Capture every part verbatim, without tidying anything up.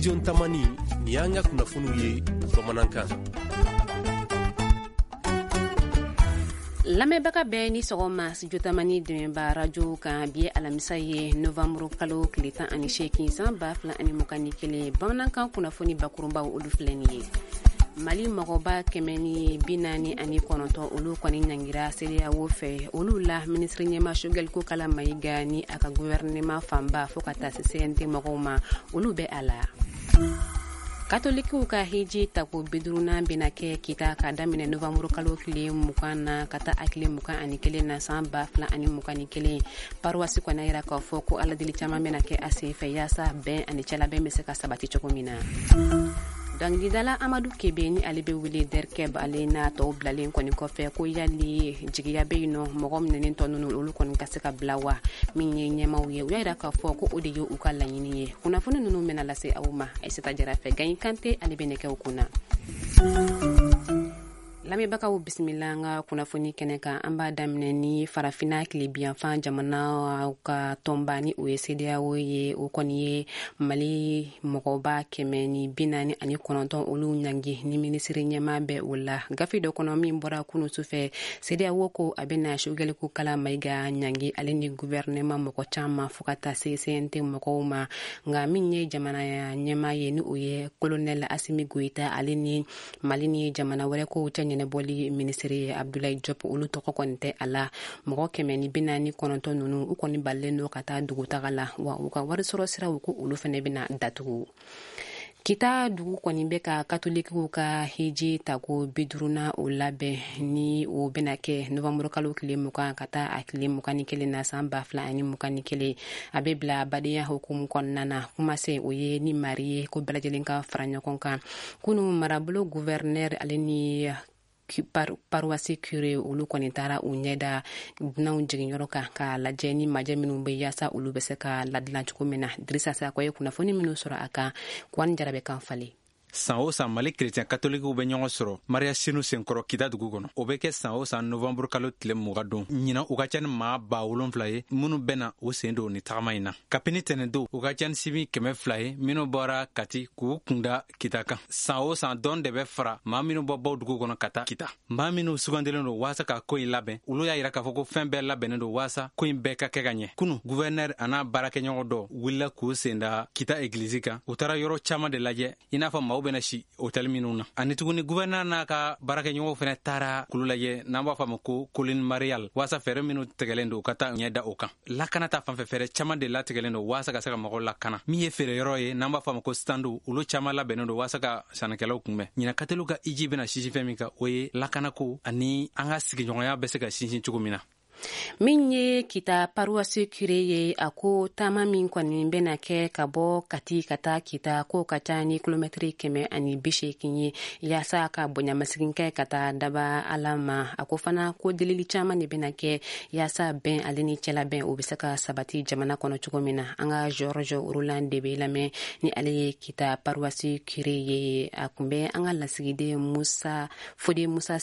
Studio Tamani, ni y'an ka kunnafoniw ye bamanankan. Lamɛnbaga bɛɛ ni sɔgɔma. Studio Tamani dɛmɛba radio kan, bi ye alamisa ye, novanburu kalo tile tan ani seegin, san ba fila ani mugan ni kelen. Bamanankan kunnafoni bakurunbaw, olu filɛ nin ye. Mali mɔgɔba kɛmɛ ni bi naani ani kɔnɔntɔn, olu kɔni ɲangira CEDEAO fɛ. Olu la, minisiri ɲɛma Choguel Kokalla Maïga ni a ka gouvernement fanba, fɔɔ ka taa se C N T mɔgɔw ma, olu bɛ a la. Katolikiw ka hiji tako bidurunan bena kɛ Kita ka daminɛ novanburu kalo tile mugan na ka taa a tile mugan ani kelen na, san ba fila ani mugan ni kelen. Paroisse kɔni yira k'a fɔ ko aladeli caaman bena kɛ a sen fɛ, yaasa bɛn ani cɛlabɛn be se ka sabati cogo min na. Dɔnkilidala Amadu Kebe, ni ale be wele Derkeb, ale n'a tɔw bilalen kɔni kɔfɛ, ko yali jigiya be yen nɔ, mɔgɔ minɛnen tɔ nunu, olu kɔni ka se ka bila wa? Min ye ɲɛmaw ye, u y'a yira k'a fɔ ko o de ye u ka laɲini ye. Kunnafoni nunu bena lase aw ma Aisata Jara fɛ. Gaɲi Kante, ale be nɛgɛw kunna. Lamɛnbagaw, bisimila an ka kunnafoni kɛnɛ kan. An b'a daminɛ ni Farafina tilebiyanfan jamana ka tɔnba, ni o ye CEDEAO ye. O kɔni ye Mali mɔgɔba kɛmɛ ni bi naani ani kɔnɔntɔn, olu ɲangi, ni minisiri ɲɛma bɛ o la. Gafe dɔ kɔnɔ min bɔra kunu sufɛ, CEDEAO ko a bɛna Choguel Kokalla Maïga ɲangi, ale ni gouvernement mɔgɔ caman, fo ka taa se C N T mɔgɔw ma. Nka min ye jamana ɲɛma ye, ni o ye colonel Assimi Goïta, ale ni Mali ni jamana wɛrɛ kow cɛ ɲɛnɛbɔli minisiri ye Abdoulaye Diop, olu tɔgɔ kɔni tɛ a la. Mɔgɔ kɛmɛ ni bi naani kɔnɔntɔn nunu, u kɔni balilen don ka taa dugutaga la, wa u ka wari sɔrɔ siraw, ko olu fɛnɛ bɛna datugu. Kita dugu kɔni bɛ ka katolikiw ka hiji tako biduruna o labɛn, ni o bɛna kɛ novanburu kalo tile mugan ka taa a tile mugan ni kelen na, san ba fila ani mugan ni kelen. A bɛ bila badenya hukumu kɔnɔna na. Kumase o ye ni mari ye ko bɛɛ lajɛlen ka fara ɲɔgɔn kan. Kunu, marabolo gouverneur, ale ni paroisse curé, olu kɔni taara u ɲɛda dunanw jiginyɔrɔ kan k'a lajɛ ni majɛ minnu bɛ, yaasa olu bɛ se ka ladilan cogo min na. Dirisa Sakɔ ye kunnafoni minnu sɔrɔ a kan, Kwani Jara bɛ kan falen. San o san, Mali kerecɛn katolikiw bɛ ɲɔgɔn sɔrɔ Mariya Sinu senkɔrɔ Kita dugu kɔnɔ. O bɛ kɛ san o san novanburu kalo tile mugan don. Ɲinan, u ka ca ni maa ba wolonfila ye minnu bɛna u sen don ni tagama in na. Kabini tɛnɛndo, u ka ca ni sibi kɛmɛ fila ye minnu bɔra Kati k'u kunda Kita kan. San o san, dɔn de bɛ fara maa minnu bɔ baw dugu kɔnɔ ka taa Kita. Maa minnu sugandilen don waasa ka ko in labɛn, olu y'a yira k'a fɔ ko fɛn bɛɛ labɛnnen don waasa ko in bɛɛ ka kɛ ka ɲɛ. Kunu, gouverneur a n'a baarakɛɲɔgɔn dɔ wulila k'u sen da Kita egilizi kan. U taara yɔrɔ caaman de lajɛ, i n'a fɔ maaw bɛna si hôtel minnu na. Ani tuguni, gouverneur n'a ka baarakɛɲɔgɔnw fɛnɛ taara kulu lajɛ n'an b'a fɔ a ma ko Colline Mariale, waasa fɛɛrɛ minnu tigɛlen don, ka taa ɲɛ da o kan. Lakana ta fanfɛ, fɛɛrɛ caaman de latigɛlen don waasa ka se ka mɔgɔw lakana. Min ye feereyɔrɔ ye n'an b'a fɔ a ma ko standw, olu caaman labɛnnen don waasa ka sannikɛlaw kunbɛn. Ɲinan, kateliw ka iji bɛna sinsin fɛn min kan, o ye lakanako ani an ka sigiɲɔgɔnya bɛ se ka sinsin cogo min na. Min ye Kita paroisse curé ye, a ko taama min kɔni bɛna kɛ ka bɔ Kati ka taa Kita, k'o ka ca ni kilomɛtiri kɛmɛ ani bi seegin ye, yaasa ka bonyamasegin kɛ ka taa daba Ala ma. A ko fana ko delili caaman de bɛna kɛ yaasa bɛn ale ni cɛlabɛn, o bɛ se ka sabati jamana kɔnɔ cogo min na. An ka Georges Roland de bɛ lamɛn, ni ale ye Kita paroisse curé ye. A kun bɛ an ka lasigiden Musa Fode Musa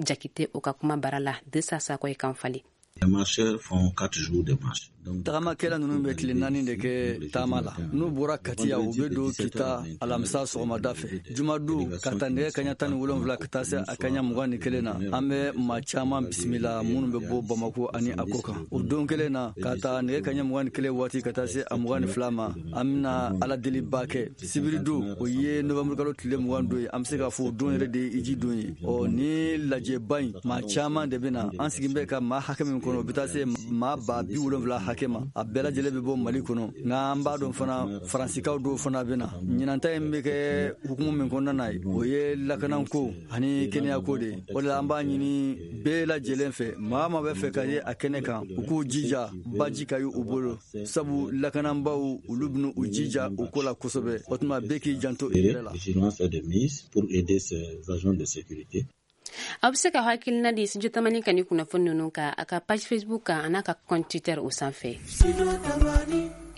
Jakite, o ka kuma bara la. Dirisa Sakɔ ye kan falen. Les marcheurs font quatre jours de marche. Tagamakɛla ninnu bɛ tile naani de kɛ taama la. N'u bɔra Katiya, u bɛ don Kita alamisa sɔgɔmada fɛ. Jumadon, ka ta nɛgɛ kaɲa tan ni wolonfila ka taa se a kaɲa mugan ni kelen na, an bɛ maa caman bisimila minnu bɛ bɔ Bamako ani a kɔ kan. O don kelen na, ka ta nɛgɛ kaɲa mugan ni kelen waati ka taa se a mugan ni fila ma, an bɛna Ala deliba kɛ. Sibiridon, o ye novanburukalo tile mugan don ye, an bɛ se k'a fɔ o don yɛrɛ de ye iji don ye. Ɔ ni lajɛba in, maa caman de bɛ na. An sigin bɛ ka maa hakɛ min kɔnɔ, o bɛ taa se maa ba bi wolonfila hakɛ ma. A bɛɛ lajɛlen bɛ bɔ Mali kɔnɔ, nka an b'a dɔn fana, Faransikaw dɔw fana bɛ na. Ɲinanta in bɛ kɛ hukumu min kɔnɔna na ye, o ye lakanako ani kɛnɛyako de ye. O de la, an b'a ɲini bɛɛ lajɛlen fɛ, maa maa bɛ fɛ ka ye a kɛnɛ kan, u k'u jija baji ka ye u bolo, sabu lakananbaw, olu bɛna u jija o ko la kosɛbɛ. O tuma, bɛɛ k'i janto i yɛrɛ la. Vigilance est de mise pour aider ces agents de sécurité. Aw bɛ se ka hakilina di Studio Tamani ka ni kunnafoni ninnu kan a ka page Facebook kan, a n'a ka compte Twitter o sanfɛ.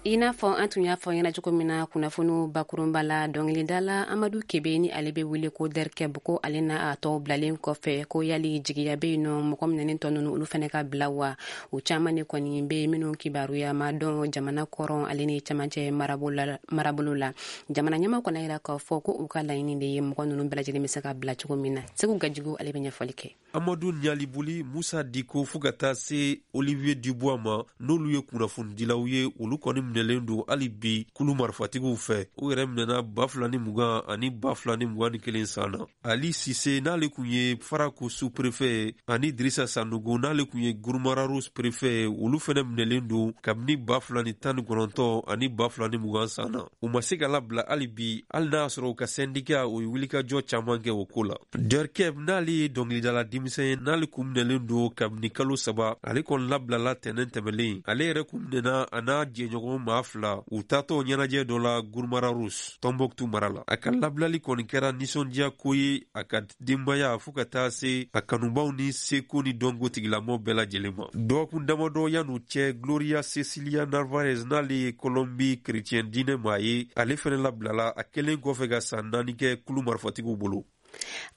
I n'a fɔ an tun y'a fɔ ɲɛna cogo min na kunnafoniw bakurunba la, dɔnkilidala Amadu Kebe ni ale bɛ wele ko Derkeb, ko ale n'a a tɔw bilalen kɔfɛ, ko yali jigiya bɛ yen nɔ mɔgɔ minɛnen tɔ ninnu olu fana ka bila wa? O caman de kɔni bɛ yen minnu kibaruya ma dɔn jamana kɔrɔn ale ni camancɛ marabolo la. Jamana ɲɛmaaw kɔni yira k'a fɔ ko u ka laɲini de ye mɔgɔ ninnu bɛɛ lajɛlen bɛ se ka bila cogo min na. Segu Gajigo ale bɛ ɲɛfɔli kɛ. Amadu Ɲalibuli, Musa Diko fo ka taa se Olivier Dubois ma, n'olu ye kunnafonidilaw ye, olu kɔni minɛlen don hali bi kulu marifatigiw fɛ. U yɛrɛ minɛna ba fila ni mugan ani ba fila ni mugan ni kelen san na. Ali Sise n'ale kun ye Farako sous-préfet ye, ani Dirisa Sanogo n'ale kun ye Gurumararu préfet ye, olu fɛnɛ minɛlen don kabini ba fila ni tan ni kɔnɔntɔn ani ba fila ni mugan san na. U ma se ka labila hali bi, hali n'a y'a sɔrɔ u ka syndicat o ye wulikajɔ caman kɛ o ko la. Derkeb n'ale ye dɔnkilidala denmisɛn ye, n'ale kun minɛlen don kabini kalo saba, ale kɔni labilala tɛnɛn tɛmɛlen. Ale yɛrɛ kun minɛna a n'a jɛɲɔgɔn maa fila u taatɔ ɲɛnajɛ dɔ la Gurumararu Tɔnbɔkutu mara la. A ka labilali kɔni kɛra nisɔndiya ko ye a ka denbaya fo ka taa se a kanubaw ni seko ni dɔnko tigilamɔgɔ bɛɛ lajɛlen ma. Dɔgɔkun damadɔ yan'u cɛ, Gloria Cecilia Narvaez n'ale ye Colombie chrétien diinɛ maa ye, ale fɛnɛ labilala a kɛlen kɔfɛ ka san naani kɛ kulu marifatigiw bolo.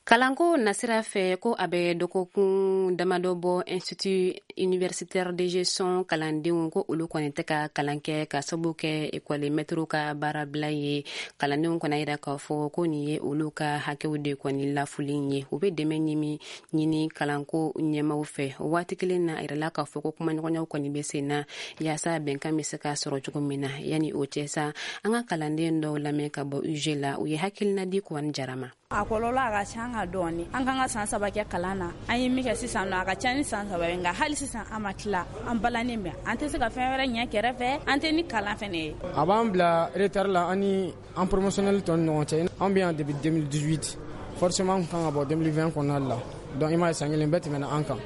Kalanko nasira fɛ, ko a bɛ dɔgɔkun damadɔ bɔ, Institut universitaire de gestion kalandenw ko olu kɔni tɛ ka kalan kɛ ka sababu kɛ ekɔli mɛtiriw ka baarabila ye. Kalandenw kɔni yira k'a fɔ ko nin ye olu ka hakɛw de kɔni lafulen ye. U bɛ dɛmɛ ɲini ɲini kalanko ɲɛmaw fɛ. O waati kelen na, a yirala k'a fɔ ko kumaɲɔgɔnyaw kɔni bɛ sen na yaasa bɛnkan bɛ se ka sɔrɔ cogo min na. Yanni o cɛ sa, an ka kalanden dɔw lamɛn ka bɔ U G la, u ye hakilina di Kuwani Jara ma. A kɔlɔlɔ a ka ca ka dɔɔni. An kan ka san saba kɛ kalan na, an ye min kɛ sisan nɔ a ka ca ni san saba ye, nka hali sisan an ma tila, an balannen bɛ, an tɛ se ka fɛn wɛrɛ ɲɛ kɛrɛfɛ, an tɛ ni kalan fɛnɛ ye. A b'an bila retard la an ni an promotionnel tɔ ni ɲɔgɔn cɛ. An bɛ yan depuis deux mille dix-huit, forcément an kan ka bɔ deux mille vingt kɔnɔna la, donc i m'a ye san kelen bɛɛ tɛmɛna an kan.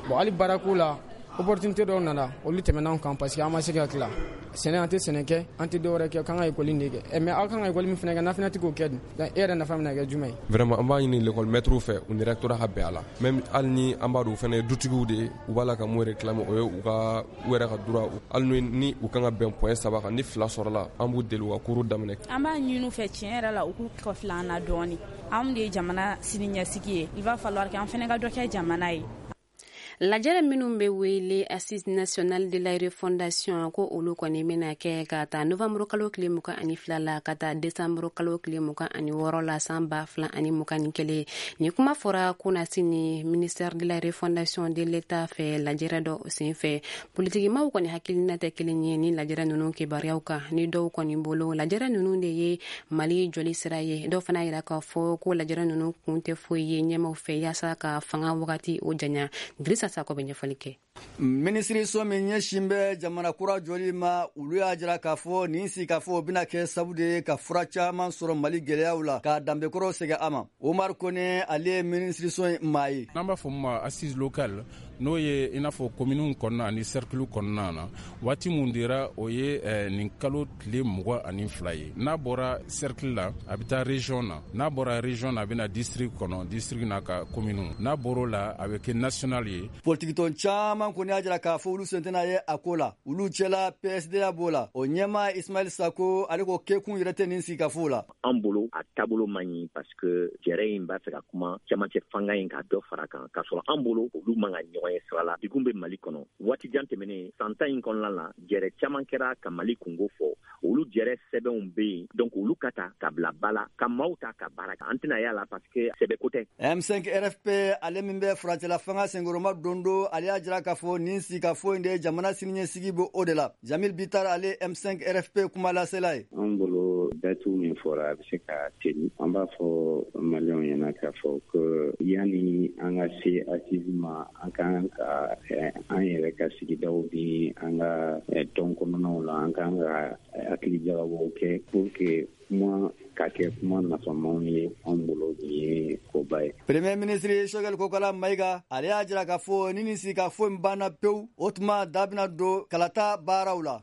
Bon, hali baarako la opportunité dɔw nana, olu tɛmɛna an kan parce que an ma se ka tila. Sɛnɛ, an tɛ sɛnɛ kɛ, an tɛ dɔwɛrɛ kɛ, k'an ka ekɔli de kɛ. Mais aw kan ka ekɔli min fana kɛ, n'a fana tɛ k'o kɛ dun, donc e yɛrɛ nafa bɛna kɛ jumɛn ye? Vraiment, an b'a ɲini l'école maître fɛ, u ni rectorat ka bɛn a la. Même hali ni an b'a dɔn u fana ye dutigiw de ye, u b'a la ka mun réclamer, o ye u ka u yɛrɛ ka droit. Hali ni u kan ka bɛn point saba kan, ni fila sɔrɔla, an b'u deli u ka cours daminɛ. An b'a ɲini u fɛ tiɲɛ yɛrɛ la, u k'u kɔfilɛ an na dɔɔni. Anw de ye jamana sini ɲɛsigi ye, il va falloir que an fana ka dɔ kɛ jamana ye. Lajɛrɛ minnu bɛ wele Assise nationale de la refondation, ko olu kɔni bɛna kɛ ka taa novembre kalo tile mugan ani fila la ka taa décembre kalo tile mugan ani wɔɔrɔ la san ba fila ani mugan ni kelen. Nin kuma fɔra kunasini ministère de la refondation de l'État fɛ lajɛrɛ dɔ sen fɛ. Politikimaw kɔni hakilina tɛ kelen ye ni lajɛrɛ ninnu kibaruyaw kan. Ni dɔw kɔni bolo, lajɛrɛ ninnu de ye Mali jɔli sira ye. Dɔw fana yira k'a fɔ ko lajɛrɛ ninnu kun tɛ foyi ye ɲɛmaw fɛ yaasa ka fanga wagati o janya. Dirisa Sako bɛ ɲɛfɔli kɛ. Minisiriso min ɲɛsin bɛ jamana kura jɔli ma, olu y'a jira k'a fɔ nin sigikafɔ bɛna kɛ sabu de ye ka fura caman sɔrɔ Mali gɛlɛyaw la, k'a danbekɔrɔ segin a ma. Omar Kone, ale ye minisiriso in maa ye. N'an b'a fɔ min ma assise locale, n'o ye i n'a fɔ kominiw kɔnɔna ani cercle kɔnɔna na, waati mun dira o ye nin kalo tile mugan ani fila ye. N'a bɔra cercle la, a bɛ taa région na, n'a bɔra région na, a bɛ na district kɔnɔ, district n'a ka kominiw, n'a bɔr'o la, a bɛ kɛ national ye. Politikitɔn caman kɔni y'a jira k'a fɔ olu sen tɛna ye a ko la. Olu cɛla P S D A b'o la, o ɲɛmaa Ismail Sako, ale ko kɛkun yɛrɛ tɛ nin sigikafo la. An bolo a taabolo man ɲi parce que jɛrɛ in b'a fɛ ka kuma cɛmancɛ fanga in ka dɔ fara kan, k'a sɔrɔ an bolo olu man ka ɲɔgɔn ye sira la. Degun bɛ Mali kɔnɔ waati jan tɛmɛnen, san tan in kɔnɔna la, jɛrɛ caman kɛra ka Mali kungo fɔ, olu jɛrɛ sɛbɛnw bɛ yen, donc olu ka ta ka bila ba la, ka maaw ta ka baara kɛ. An tɛna y'a la parce que sɛbɛko tɛ. M cinq R F P, ale min bɛ furancɛla fanga senkɔrɔma don don, ale y'a jira k'a fɔ nin sigikafo in de ye jamana siniɲɛsigi bɛ o de la. Jamil Bitar, ale M cinq R F P kumalasela ye. An bolo date min fɔra, a bɛ se ka teli. An b'a fɔ maliyɛnw ɲɛna k'a fɔ ko yanni an ka se assise ma, an kan ka an yɛrɛ ka sigidaw ni an ka tɔn kɔnɔnaw la, an kan ka hakili jagabɔw kɛ pour que kuma ka kɛ kuma nafamaw ye anw bolo, nin ye koba ye. Premier ministre Choguel Kokala Maïga, ale y'a jira k'a fɔ ni nin sigikafɔ in banna pewu, o tuma da bɛna don kalata baaraw la.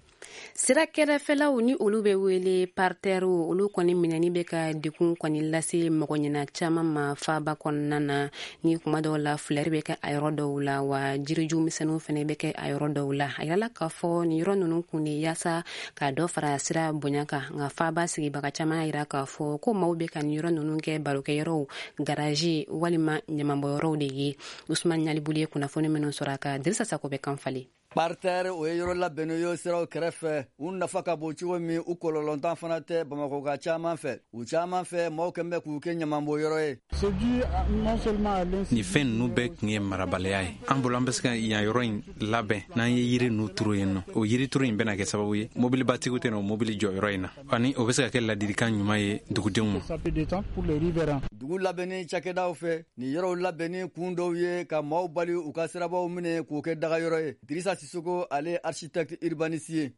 Sira kɛrɛfɛlaw ni olu bɛ wele parterrew, olu kɔni minɛni bɛ ka degun kɔni lase mɔgɔ ɲɛna caman ma faaba kɔnɔna na. Ni kuma dɔw la fleur bɛ kɛ a yɔrɔ dɔw la, wa jiriju misɛnninw fɛnɛ bɛ kɛ a yɔrɔ dɔw la. A yirala k'a fɔ nin yɔrɔ ninnu kun de yaasa ka dɔ fara sira bonya kan, nka faaba sigibaga caman y'a yira k'a fɔ ko maaw bɛ ka nin yɔrɔ ninnu kɛ barokɛyɔrɔw, garaji walima ɲamanbɔyɔrɔw de ye. Usman Ɲalibuli ye kunnafoni minnu sɔrɔ a kan, Dirisa Sako bɛ kan falen. Parterre o ye yɔrɔ labɛnnen ye siraw kɛrɛfɛ, u nafa ka bon cogo min, u kɔlɔlɔntan fana tɛ Bamakɔka caman fɛ. U caman fɛ, maaw kɛn bɛ k'u kɛ ɲamanbɔyɔrɔ ye. Nin fɛn ninnu bɛɛ tun ye marabaliya ye. An bolo an bɛ se ka yan yɔrɔ in labɛn n'an ye yiri ninnu turu yen nɔ. O yirituru in bɛna kɛ sababu ye mobilibatigiw tɛna o mobili jɔ yɔrɔ in na, ani o bɛ se ka kɛ ladilikan ɲuman ye dugudenw ma. Dugu labɛnni cakɛdaw fɛ, nin yɔrɔw labɛnni kun dɔw ye ka maaw bali u ka sirabaw minɛ k'u kɛ dagayɔrɔ ye. Dirisa Sissoko, ale architecte urbaniste ye.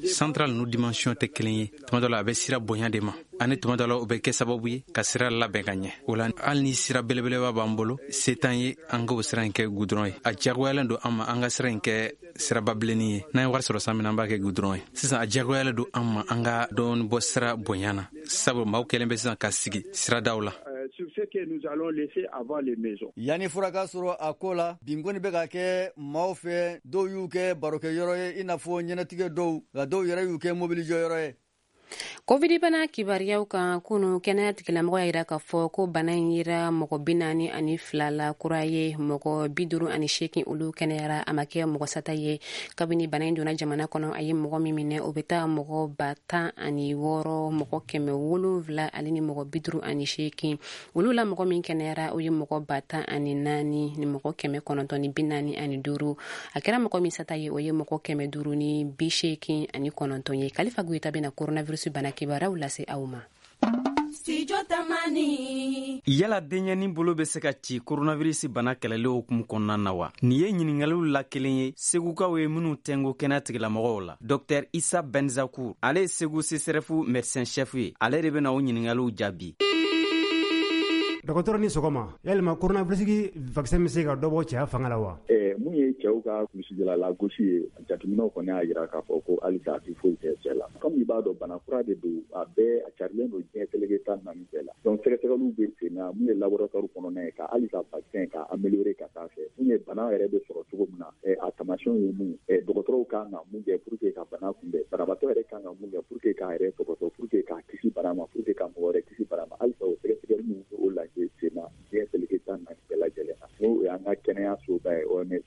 Central ninnu dimension tɛ kelen ye. Tuma dɔ la a bɛ sira bonya de ma, ani tuma dɔ la o bɛ kɛ sababu ye ka sira labɛn ka ɲɛ. O la hali ni sira belebeleba b'an bolo, se t'an ye an k'o sira in kɛ goudron ye. A diyagoyalen don an ma an ka sira in kɛ siraba bilenni ye. N'an ye wari sɔrɔ san min na, an b'a kɛ goudron ye. Sisan a diyagoyalen don an ma an ka dɔɔni bɔ sira bonya na, sabu maaw kɛlen bɛ sisan ka sigi siradaw la. Yanni fura ka sɔrɔ a ko la, binkɔni bɛ ka kɛ maaw fɛ, dɔw y'u kɛ barokɛyɔrɔ ye i n'a fɔ ɲɛnatigɛ dɔw, nka dɔw yɛrɛ y'u kɛ mobilijɔyɔrɔ ye. Covid bana kibaruyaw kan, kunu kɛnɛya tigilamɔgɔ y'a yira k'a fɔ ko bana in yera mɔgɔ bi naani ani fila la kura ye, mɔgɔ bi duuru ani seegin olu kɛnɛyara, a ma kɛ mɔgɔ sata ye. Kabini bana in donna jamana kɔnɔ, a ye mɔgɔ min minɛ o bɛ taa mɔgɔ ba tan ani wɔɔrɔ, mɔgɔ kɛmɛ wolonwula ale ni mɔgɔ bi duuru ani seegin. Olu la mɔgɔ min kɛnɛyara o ye mɔgɔ ba tan ani naani ni mɔgɔ kɛmɛ kɔnɔntɔn ni bi naani ani duuru. A kɛra mɔgɔ min sata ye o ye mɔgɔ kɛmɛ duuru ni bi seegin ani kɔnɔntɔn ye. Kalifa Goyita bɛna coronavirus bana kibaruyaw lase aw ma. Yala denyɛnin bolo bɛ se ka ci coronavirus bana kɛlɛli hukumu kɔnɔna na wa? Nin ye ɲiningaliw la kelen ye Segukaw ye minnu tɛngo kɛnɛya tigilamɔgɔw la. Docteur Issa Benzakour, ale ye Segu C S R F médecin chef ye, ale de bɛna o ɲiningaliw jaabi. Dɔgɔtɔrɔ ni sɔgɔma, yalima coronavirus vaccin bɛ se ka dɔ bɔ cɛya fanga la wa? Ɛɛ mun ye cɛw ka kulusijala lagosi ye, jateminɛw kɔni y'a jira k'a fɔ ko halisa a tɛ foyi kɛ cɛ la. Comme i b'a dɔn, bana kura de don, a bɛɛ a carilen don diɲɛ seleke tan naani bɛɛ la. Donc sɛgɛsɛgɛliw bɛ sen na, mun ye laboratoire kɔnɔna ye ka halisa vaccin ka améliorer ka taa fɛ. Mun ye bana yɛrɛ bɛ sɔrɔ cogo min na, a taamasiyɛnw ye mun ye, dɔgɔtɔrɔw kan ka mun kɛ pour que ka bana kunbɛn, banabaatɔ yɛrɛ kan ka mun kɛ pour que k'a yɛrɛ tɔgɔtɔ, pour que k'a kisi bana ma, pour que ka mɔgɔ wɛrɛ kisi bana ma. Halisa o sɛgɛsɛgɛliw o la sen na diɲɛ seleke tan naani bɛɛ lajɛlen na, n'o y'an ka kɛnɛyasoba ye O M S.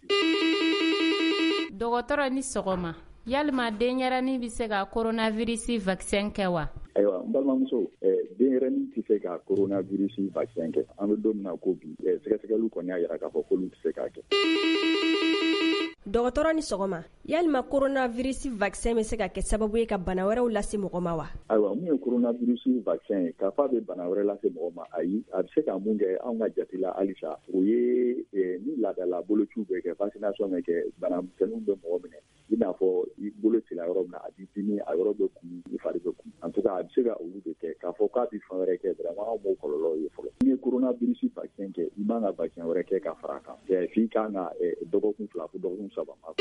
Dɔgɔtɔrɔ ni sɔgɔma, yalima denyɛrɛnin bɛ se ka coronavirus vaccin kɛ wa? Ayiwa, n balimamuso, denyɛrɛnin tɛ se ka coronavirus vaccin kɛ. An bɛ don min na ko bi, sɛgɛsɛgɛliw kɔni y'a jira k'a fɔ k'olu tɛ se k'a kɛ. Dɔgɔtɔrɔ ni sɔgɔma, yalima coronavirus vaccin bɛ se ka kɛ sababu ye ka bana wɛrɛw lase mɔgɔ ma wa? Ayiwa, mun ye coronavirus vaccin ye, k'a fɔ a bɛ bana wɛrɛ lase mɔgɔ ma, ayi. A bɛ se ka mun kɛ anw ka jate la halisa, o ye ni laadala bolociw bɛ kɛ, vaccination bɛ kɛ, banamisɛnninw bɛ mɔgɔ minɛ, i n'a fɔ i bolo cila yɔrɔ min na, a b'i dimi, a yɔrɔ bɛ kumu, i fari bɛ kumu. En tout cas, a bɛ se ka olu de kɛ. K'a fɔ k'a bɛ fɛn wɛrɛ kɛ, vraiment anw m'o kɔlɔlɔ ye fɔlɔ. N'i ye coronavirus vaccin kɛ, i man ka vaccin wɛrɛ kɛ ka fara a kan. F'i kan ka dɔgɔkun fila fo dɔgɔkun saba ma.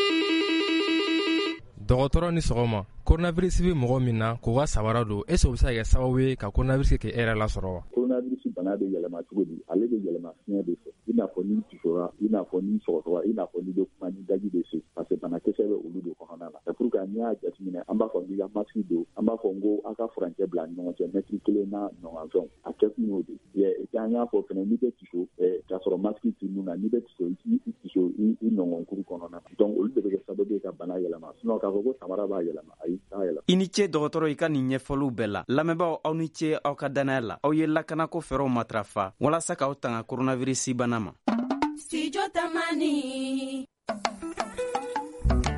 Dɔgɔtɔrɔ ni sɔgɔma, coronavirus bɛ mɔgɔ min na k'o ka sabara don, est ce que o bɛ se ka kɛ sababu ye ka coronavirus kɛ e yɛrɛ lasɔrɔ wa? Coronavirus bana bɛ yɛlɛma cogo di? Ale bɛ yɛlɛma fiɲɛ de fɛ, i n'a fɔ n'i tisora, i n'a fɔ n'i sɔgɔsɔgɔra, i n'a fɔ n'i bɛ kuma ni daji bɛ se, parce que banakisɛ bɛ olu de kɔnɔna la. C'est pour que n'i y'a jateminɛ, an b'a fɔ k'i ka masque don, an b'a fɔ n ko aw ka furancɛ bila ni ɲɔgɔn cɛ mɛtiri kelen n'a ɲɔgɔn fɛnw, a kɛkun y'o de ye. Et puis an y'a fɔ fɛnɛ, n'i bɛ tiso k'a sɔrɔ masque t'i nun na, n'i bɛ tiso i tiso i nɔngɔnkuru kɔnɔna na. Donc olu de bɛ kɛ sababu ye ka bana yɛlɛma. Sinon k'a fɔ ko samara b'a yɛlɛma, ayi, t'a yɛlɛma. I ni ce dɔgɔtɔrɔ, i ka nin ɲɛfɔliw bɛɛ la. Lamɛnbaaw, aw ni ce aw ka dannaya la. Aw ye lakanako fɛɛrɛw matarafa walasa k'aw tanga coronavirus bana ma. Studio Tamani.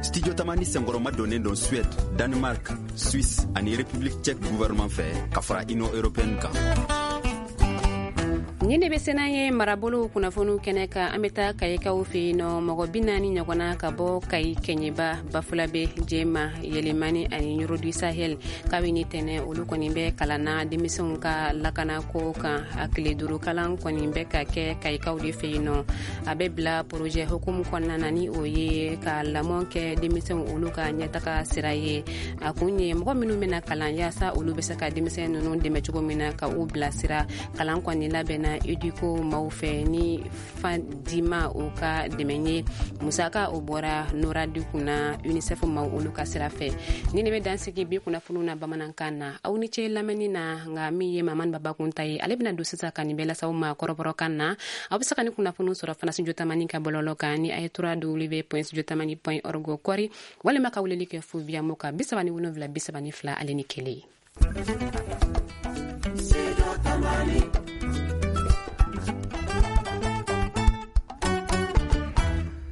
Studio Tamani senkɔrɔma donnen don Suède, Danemark, Suisse ani République tchèque gouvernement fɛ ka fara Union européenne kan. Nin de bɛ sena ye marabolow kunnafoniw kɛnɛ kan. An bɛ taa Kayikaw fɛ yen nɔ. Mɔgɔ bi naani ɲɔgɔnna ka bɔ Kayi, Kɛɲɛba, Bafulabe, Jɛma, Yɛlɛmani ani Ɲɔrɔ du Sahel, kabini tɛnɛ olu kɔni bɛ kalan na denmisɛnw ka lakanako kan. A tile duuru kalan kɔni bɛ ka kɛ Kayikaw de fɛ yen nɔ. A bɛ bila projet hukumu kɔnɔna na, ni o ye ka lamɔ kɛ denmisɛnw olu ka ɲɛtaga sira ye. A kun ye mɔgɔ minnu bɛna kalan, yaasa olu bɛ se ka denmisɛn ninnu dɛmɛ cogo min na ka u bilasira. Kalan kɔni labɛnna Educo maaw fɛ ni Fadima o ka dɛmɛ ye. Musaka o bɔra NORAD kunna, UNICEF maaw olu ka sira fɛ. Ni ne bɛ dansigi bi kunnafoniw na bamanankan na. Aw ni ce lamɛnni na. Nka min ye Mamani Babakun ta ye, ale bɛna don sisan ka nin bɛɛ lase aw ma kɔrɔbɔrɔkan na. Aw bɛ se ka ni kunnafoniw sɔrɔ fana Studio Tamani ka bɔlɔlɔ kan ni a ye w w w point studio tamani point org kɔri, walima ka weleli kɛ fu via mo kan bi saba ni wolonwula bi saba ni fila ale ni kelen.